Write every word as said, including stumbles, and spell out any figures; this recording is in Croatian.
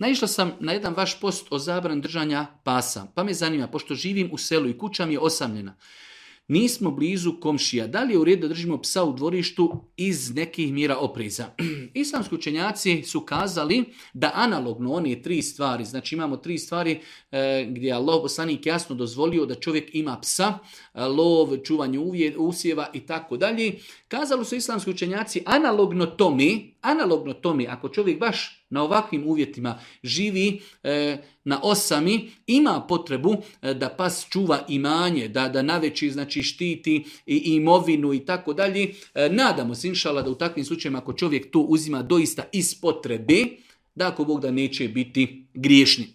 Naišla sam na jedan vaš post o zabrani držanja pasa, pa me zanima, pošto živim u selu i kuća mi je osamljena. Nismo blizu komšija. Da li je u redu da držimo psa u dvorištu iz nekih mjera opreza? Islamski učenjaci su kazali da analogno one tri stvari, znači imamo tri stvari e, gdje je Allah poslanik jasno dozvolio da čovjek ima psa, lov, čuvanje uvje, usjeva i tako dalje. Kazali su islamski učenjaci analogno tome, analogno tome, ako čovjek baš na ovakvim uvjetima živi e, na osami, ima potrebu e, da pas čuva imanje, da, da naveći znači štiti i imovinu i tako dalje. E, nadamo se inšala da u takvim slučajima ako čovjek to uzima doista iz potrebe, da ako Bog da neće biti griješni.